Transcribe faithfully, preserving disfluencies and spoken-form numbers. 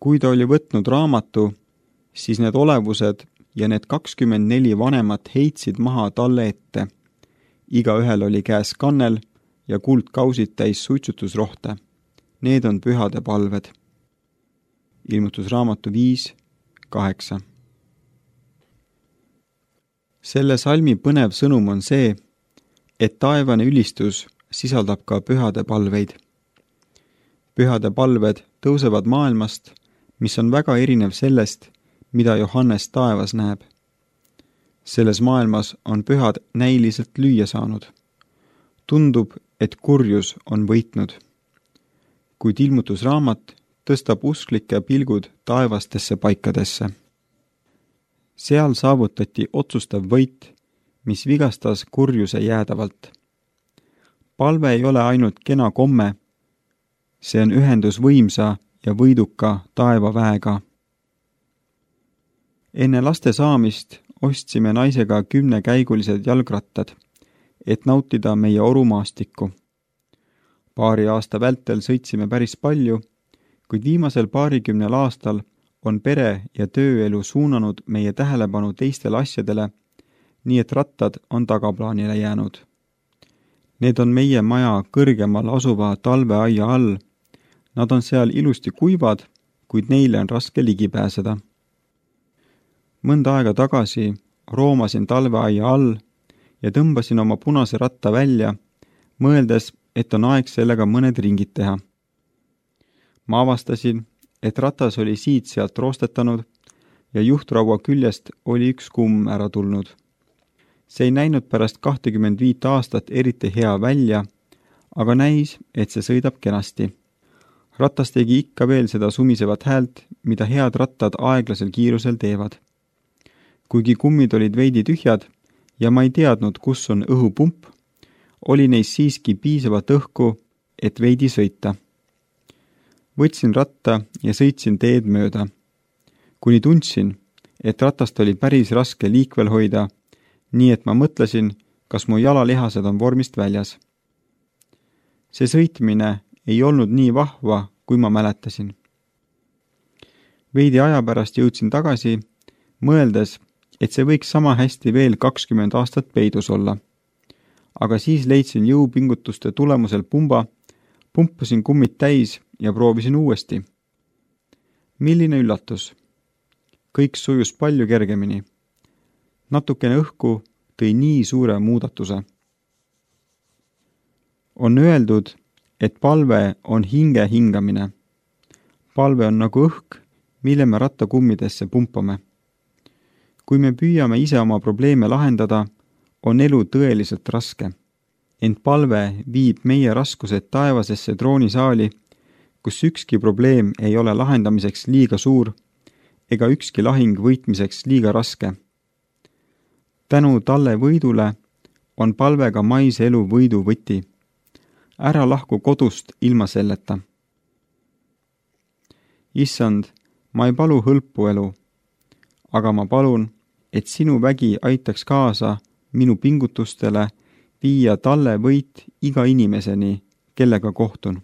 Kui ta oli võtnud raamatu, siis need olevused ja need kakskümmend neli vanemat heitsid maha talle ette. Igaühel oli käes kannel ja kuldkausid täis suitsutusrohte. Need on pühade palved. Ilmutusraamatu viis kaheksa. Selle salmi põnev sõnum on see, et taevane ülistus sisaldab ka pühade palveid. Pühade palved tõusevad maailmast, mis on väga erinev sellest, mida Johannes taevas näeb. Selles maailmas on pühad näiliselt lüüa saanud. Tundub, et kurjus on võitnud. Kuid ilmutusraamat tõstab usklike pilgud taevastesse paikadesse. Seal saavutati otsustav võit, mis vigastas kurjuse jäädavalt. Palve ei ole ainult kena komme, see on ühendus võimsa ja võiduka taevaväega. Enne laste saamist ostsime naisega kümnekäigulised jalgrattad, et nautida meie orumaastikku. Paari aasta vältel sõitsime päris palju, kuid viimasel paarikümnel aastal on pere- ja tööelu suunanud meie tähelepanu teistele asjadele, nii et rattad on tagaplaanile jäänud. Need on meie maja kõrgemal asuva talveaia all. Nad on seal ilusti kuivad, kuid neile on raske ligi pääseda. Mõnda aega tagasi roomasin talveaia all ja tõmbasin oma punase ratta välja, mõeldes, et on aeg sellega mõned ringid teha. Ma avastasin, et ratas oli siit-sealt roostetanud ja juhtraua küljest oli üks kumm ära tulnud. See ei näinud pärast kahtekümmend viit aastat eriti hea välja, aga näis, et see sõidab kenasti. Ratas tegi ikka veel seda sumisevat häält, mida head rattad aeglasel kiirusel teevad. Kuigi kummid olid veidi tühjad ja ma ei teadnud, kus on õhupump, oli neis siiski piisavat õhku, et veidi sõita. Võtsin ratta ja sõitsin teed mööda. Kuni tundsin, et ratast oli päris raske liikvel hoida, nii et ma mõtlesin, kas mu jalalihased on vormist väljas. See sõitmine ei olnud nii vahva, kui ma mäletasin. Veidi aja pärast jõudsin tagasi, mõeldes, et see võiks sama hästi veel kakskümmend aastat peidus olla. Aga siis leidsin jõupingutuste tulemusel pumba, pumpasin kummid täis ja proovisin uuesti. Milline üllatus! Kõik sujus palju kergemini. Natukene õhku tõi nii suure muudatuse. On öeldud, et palve on hinge hingamine. Palve on nagu õhk, mille me rattakummidesse pumpame. Kui me püüame ise oma probleeme lahendada, on elu tõeliselt raske. Ent palve viib meie raskused taevasesse troonisaali, kus ükski probleem ei ole lahendamiseks liiga suur ega ükski lahing võitmiseks liiga raske. Tänu talle võidule on palvega maise elu võidu võti. Ära lahku kodust ilma selleta. Issand, ma ei palu hõlpu elu, aga ma palun, et sinu vägi aitaks kaasa minu pingutustele viia talle võit iga inimeseni, kellega kohtun.